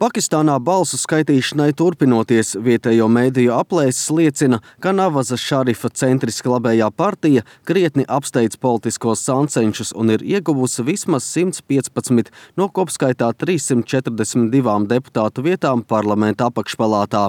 Pakistānā balsu skaitīšanai turpinoties, vietējo mediju aplēses liecina, ka Navaza Šarifa centriski labējā partija krietni apsteidz politiskos sancenšus un ir ieguvusi vismaz 115 no kopskaitā 342 deputātu vietām parlamenta apakšpalātā.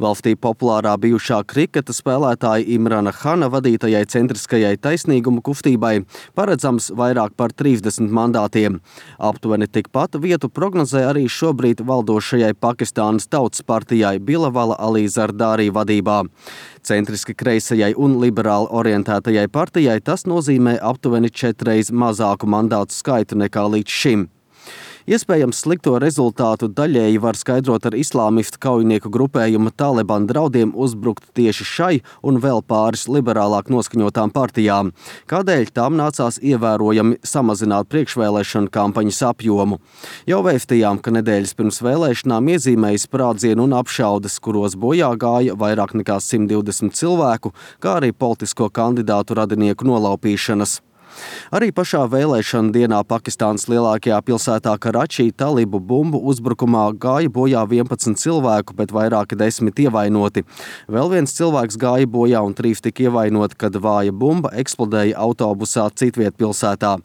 Valstī populārā bijušā kriketa spēlētāja Imrana Hana vadītajai centriskajai taisnīguma kustībai paredzams vairāk par 30 mandātiem. Aptuveni tikpat vietu prognozē arī šobrīd valdošajai Pakistānas Tautas partijai Bilawala Ali Zardari vadībā. Centriski kreisajai un liberāli orientētajai partijai tas nozīmē aptuveni 4 reizes mazāku mandātu skaitu nekā līdz šim. Iespējams slikto rezultātu daļēji var skaidrot ar islāmistu kaujinieku grupējuma Taliban draudiem uzbrukt tieši šai un vēl pāris liberālāk noskaņotām partijām, kādēļ tām nācās ievērojami samazināt priekšvēlēšanu kampaņas apjomu. Jau vēstījām, ka nedēļas pirms vēlēšanām iezīmējas sprādzienu un apšaudes, kuros bojā gāja vairāk nekā 120 cilvēku, kā arī politisko kandidātu radinieku nolaupīšanas. Arī pašā vēlēšana dienā Pakistānas lielākajā pilsētā Karačī talibu bumbu uzbrukumā gāja bojā 11 cilvēku, bet vairāki 10 ievainoti. Vēl viens cilvēks gāja bojā un 3 tika ievainoti, kad vāja bumba eksplodēja autobusā citviet pilsētā.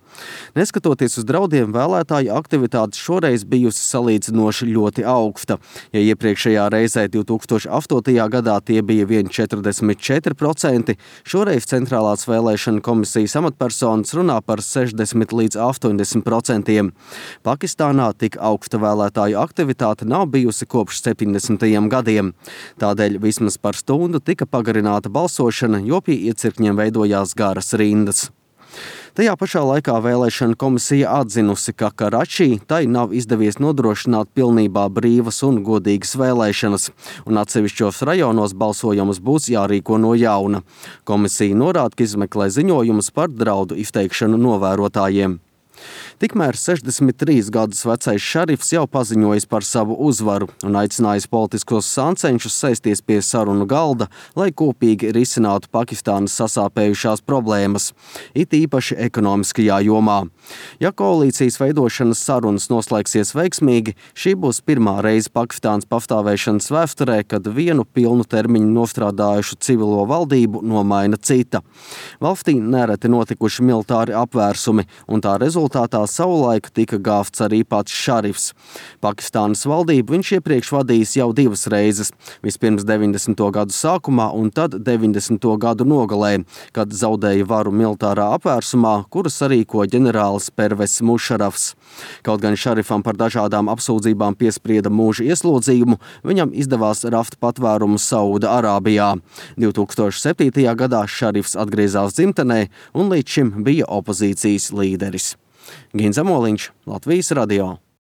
Neskatoties uz draudiem, vēlētāju aktivitātes šoreiz bijusi salīdzinoši ļoti augsta. Ja iepriekšējā reizē 2008. gadā tie bija vien 44%, šoreiz Centrālās vēlēšana komisijas amatpersona runā par 60 līdz 80%. Pakistānā tik augsta vēlētāju aktivitāte nav bijusi kopš 70. gadiem. Tādēļ vismaz par stundu tika pagarināta balsošana, jo pie iecirkņiem veidojās garas rindas. Tajā pašā laikā vēlēšana komisija atzinusi, ka Karačī tai nav izdevies nodrošināt pilnībā brīvas un godīgas vēlēšanas, un atsevišķos rajonos balsojumus būs jārīko no jauna. Komisija norāda, ka izmeklē ziņojumus par draudu izteikšanu novērotājiem. Tikmēr 63 gadus vecais Šarifs jau paziņojis par savu uzvaru un aicinājis politiskos sancenšus sēsties pie sarunu galda, lai kopīgi risinātu Pakistānas sasāpējušās problēmas, it īpaši ekonomiskajā jomā. Ja koalīcijas veidošanas sarunas noslēgsies veiksmīgi, šī būs pirmā reize Pakistānas pastāvēšanas vēsturē, kad vienu pilnu termiņu nostrādājušu civilo valdību nomaina cita. Valstī nereti notikuši militāri apvērsumi, un tā rezultātā savulaik tika gāvts arī pats Šarifs. Pakistānas valdību viņš iepriekš vadījis jau 2 reizes, vispirms 90. gadu sākumā un tad 90. gadu nogalē, kad zaudēja varu militārā apvērsumā, kuras sarīko ģenerālis Pervez Mušarafs. Kaut gan Šarifam par dažādām apsūdzībām piesprieda mūža ieslodzījumu, viņam izdevās rast patvērumu Sauda Arābijā. 2007. gadā Šarifs atgriezās dzimtenē un līdz šim bija opozīcijas līderis. Gins Zamoliņš, Latvijas radio.